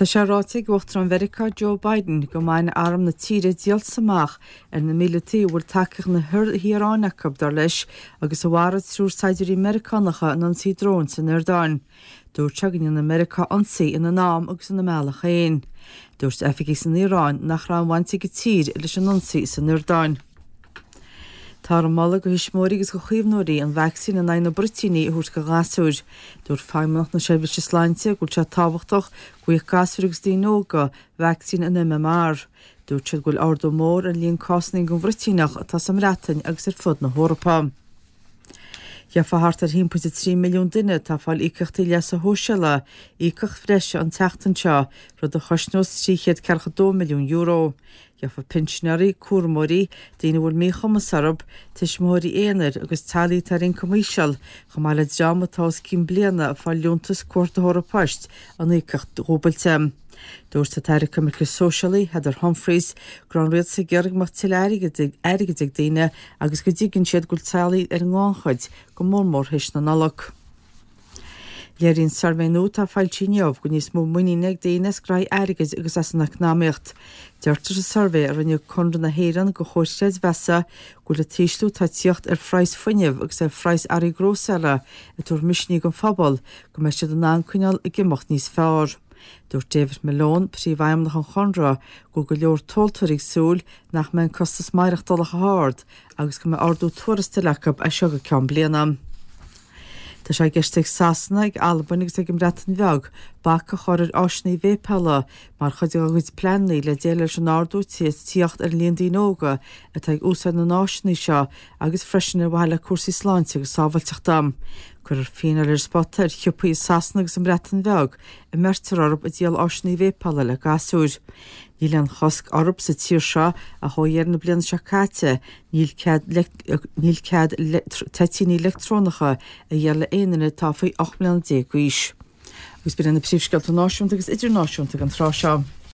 Tá sé ráite ag Uachtarán Mheiriceá Joe Biden go mbainfidh arm na tíre díoltas amach ar na míleataigh a bhfuil tacaíocht na hIaráine acu, dar leis, agus a mharaigh triúr saighdiúirí Meiriceánacha in ionsaí dróin san Iordáin. Dúirt sé go ndéanfaidh Meiriceá ionsaí ina n-am agus ina mbealach féin. Dúirt oifigigh san Iaráin nach raibh aon bhaint ag a tír leis an ionsaí san Iordáin. Táthar ag moladh do thuismitheoirí agus do chaomhnóirí an vacsaín in aghaidh na bruitíní a thabhairt do ghasúir. Dúirt Feidhmeannacht na Seirbhíse Sláinte go bhfuil sé tábhachtach go bhfaigheadh gasúir agus daoine óga vacsaín an MMR. Dúirt siad go bhfuil ardú mór ar an líon cásanna den bhruitíneach atá sa mBreatain agus ar fud na hEorpa. Gheofa thart ar 1.3 milliún duine atá ag fáil íocaíochtaí leasa shóisialaigh íocaíocht bhreise an tseachtain seo, rud a chosnós €342 milliún. Gheofa pinsinéirí, cúramóirí, daoine a bhfuil míchumas orthu, tuismitheoirí aonair agus teaghlaigh atá ar ioncam íseal, chomh maith le dream atá os cionn bliana ag fáil liúntas cuardaitheora poist, an íocaíocht dhúbailte. Dúirt an tAire Coimirce Sóisialaí, Heather Humphreys, go raibh an rialtas ag iarraidh go mbeadh tuilleadh airgid ag daoine agus go dtuigeann siad go bhfuil teaghlaigh ar an ngannchuid, go mór mór théis na Nollag. Léiríonn suirbhé nua atá foilsithe inniu go bhfuil níos mó muiníne ag daoine as gnaithí airgid agus as an eacnamaíocht. Deirtear sa suirbhé a rinne Conradh na hÉireann do Chomhar Creidmheasa go bhfuil an t-ísliú atá ag tíocht ar phraghas fuinnimh agus ar phraghas earraí grósaera ag tabhairt misnigh don phobal go mbeidh siad in ann coinneáil ag imeacht níos fearr. Dúirt David Malone, Príomhfheidhmeannach an Chonradh, go bhfuil go leor tomhaltóirí ag súil nach mbeidh an costas maireachtála chomh hard agus go mbeidh ardú tuarastail acu as seo go ceann bliana. Tá sé i gceist ag Sasana, ag Albain agus ag an mBreatain Bheag bac a chur ar áiseanna veidhpeála mar chuid dá gcuid pleananna le déileáil leis an ardú atá ag tíocht ar an líon daoine óga atá ag úsáid na n-áiseanna seo agus freisin ar mhaithe le cúrsaí sláinte agus sábháilteachta. Cuirfear fíneáil ar an spota ar shiopaí i Sasana agus sa mBreatain Bheag a mbeirtear orthu ag díol áiseanna veidhpeála le gasúir. Níl aon chosc orthu sa tír seo ach ó dheireadh na bliana seo caite níl cead níl cead toitíní leictreonacha a dhíol le aon duine atá faoi 18 mbliana d'aois. Agus b'in iad na príomhscéalta náisiúnta agus idirnáisiúnta ag an tráth seo.